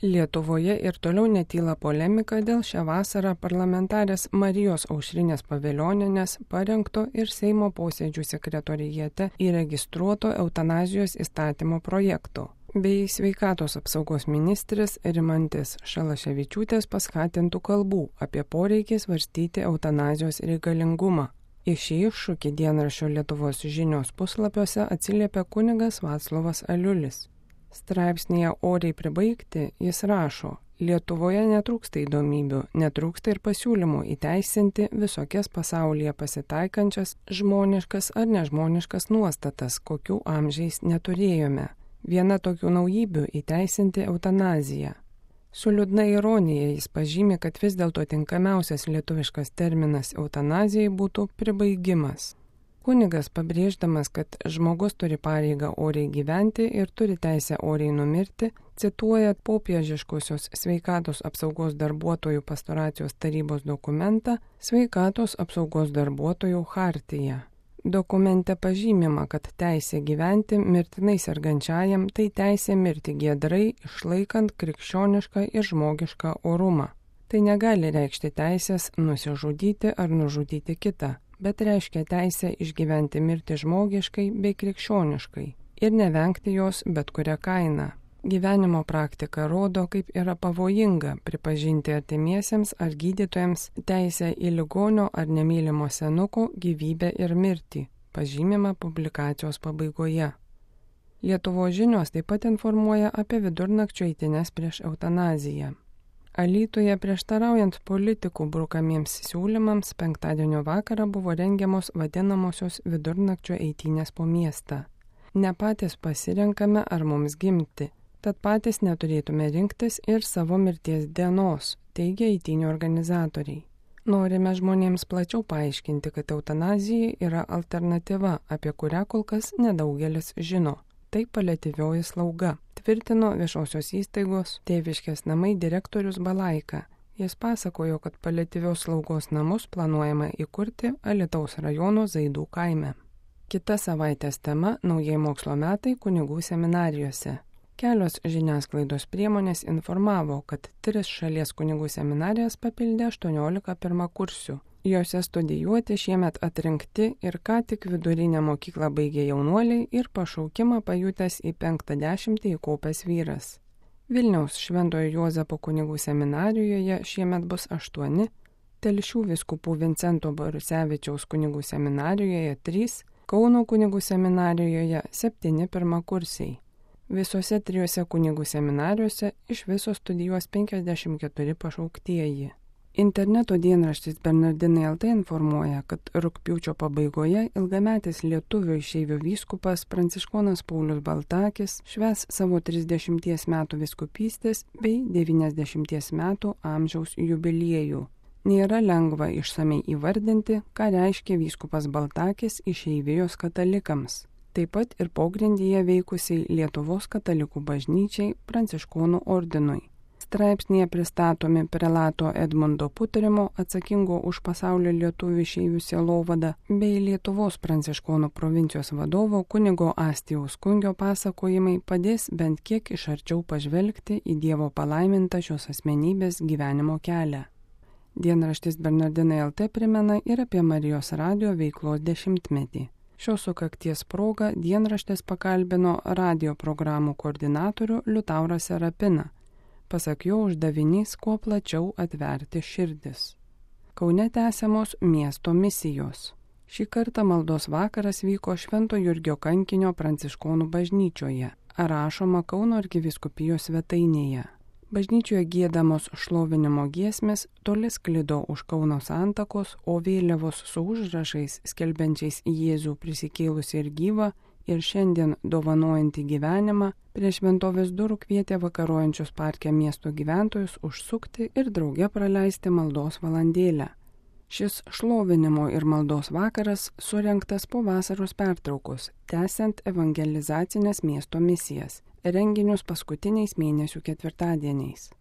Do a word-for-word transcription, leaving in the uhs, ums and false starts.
Lietuvoje ir toliau netyla polemika dėl šią vasarą parlamentarės Marijos Aušrinės Pavilionienės parengto ir Seimo posėdžių sekretoriate įregistruoto eutanazijos įstatymo projekto, bei sveikatos apsaugos ministrės Rimantės Šalaševičiūtės paskatintų kalbų apie poreikį svarstyti eutanazijos reikalingumą. Į šį iššūkį dienraščio Lietuvos žinios puslapiuose atsiliepia kunigas Vaclovas Aliulis. Straipsnėje Oriai pribaigti jis rašo: Lietuvoje netrūksta įdomybių, netrūksta ir pasiūlymų įteisinti visokias pasaulyje pasitaikančias žmoniškas ar nežmoniškas nuostatas, kokių amžiais neturėjome. Viena tokių naujovių įteisinti eutanaziją. Su liūdna ironija jis pažymi, kad vis dėlto tinkamiausias lietuviškas terminas eutanazijai būtų pribaigimas. Kunigas, pabrėždamas, kad žmogus turi pareigą oriai gyventi ir turi teisę oriai numirti, cituoja popiežiškosios sveikatos apsaugos darbuotojų pastoracijos tarybos dokumentą Sveikatos apsaugos darbuotojų chartiją. Dokumente pažymima, kad teisė gyventi mirtinai sergančiajam tai teisė mirti giedrai, išlaikant krikščionišką ir žmogišką orumą. Tai negali reikšti teisės nusižudyti ar nužudyti kitą, bet reiškia teisę išgyventi mirtį žmogiškai bei krikščioniškai ir nevengti jos bet kurią kainą. Gyvenimo praktika rodo, kaip yra pavojinga pripažinti artimiesiems ar gydytojams teisę į ligonio ar nemylimo senuko gyvybę ir mirtį, pažymima publikacijos pabaigoje. Lietuvos žinios taip pat informuoja apie vidurnakčio eitynes prieš eutanaziją. Alytuje prieštaraujant politikų brukamiems siūlymams penktadienio vakarą buvo rengiamos vadinamosios vidurnakčio eitynės po miestą. Ne patys pasirenkame, ar mums gimti, tad patys neturėtume rinktis ir savo mirties dienos, teigia eitynių organizatoriai. Norime žmonėms plačiau paaiškinti, kad eutanazija yra alternatyva, apie kurią kol kas nedaugelis žino. Tai paliatyvioji slauga, tvirtino viešosios įstaigos Tėviškės namai direktorius Balaika. Jis pasakojo, kad paliatyvios slaugos namus planuojama įkurti Alytaus rajono Zaidų kaime. Kita savaitės tema – naujieji mokslo metai kunigų seminarijose. Kelios žiniasklaidos priemonės informavo, kad tris šalies kunigų seminarijas papildė aštuoniolika pirmakursių. Jose studijuoti šiemet atrinkti ir ką tik vidurinę mokyklą baigė jaunuoliai ir pašaukimą pajutęs į penktą dešimtį įkopęs vyras. Vilniaus Šventojo Juozapo kunigų seminarijoje šiemet bus aštuoni, Telšių vyskupų Vincento Borusevičiaus kunigų seminarijoje trys, Kauno kunigų seminarijoje septyni pirmakursiai. Visose trijose kunigų seminarijose iš viso studijuos penkiasdešimt keturi pašauktieji. Interneto dienraštis Bernardinai L T informuoja, kad rugpjūčio pabaigoje ilgametis lietuvių išeivių vyskupas Pranciškonas Paulius Baltakis švęs savo trisdešimties metų vyskupystės bei devyniasdešimties metų amžiaus jubiliejų. Nėra lengva išsamei įvardinti, ką reiškia vyskupas Baltakis išeivijos katalikams, taip pat ir pogrindyje veikusiai Lietuvos katalikų bažnyčiai Pranciškonų ordinui. Straipsnėje pristatomi prelato Edmundo Putrimo, atsakingo už pasaulio lietuvių išeivių sielovadą, bei Lietuvos pranciškonų provincijos vadovo kunigo Astijaus Kungio pasakojimai padės bent kiek iš arčiau pažvelgti į Dievo palaimintą šios asmenybės gyvenimo kelią. Dienraštis Bernardinai L T primena ir apie Marijos radijo veiklos dešimtmetį. Šios sukakties proga dienraštis pakalbino radijo programų koordinatorių Liutaurą Serapiną. Pasak jo uždavinys kuo plačiau atverti širdis. Kaune tęsiamos miesto misijos. Šį kartą maldos vakaras vyko Švento Jurgio kankinio Pranciškonų bažnyčioje, rašoma Kauno arkivyskupijos svetainėje. Bažnyčioje giedamos šlovinimo giesmės toli sklido už Kauno santakos, o vėliavos su užrašais skelbiančiais Jėzų prisikėlusį ir gyvą ir šiandien dovanojantį gyvenimą prie šventovės durų kvietė vakarojančius parke miesto gyventojus užsukti ir drauge praleisti maldos valandėlę. Šis šlovinimo ir maldos vakaras surengtas po vasaros pertraukos, tęsiant evangelizacinės miesto misijas, renginius paskutiniais mėnesių ketvirtadieniais.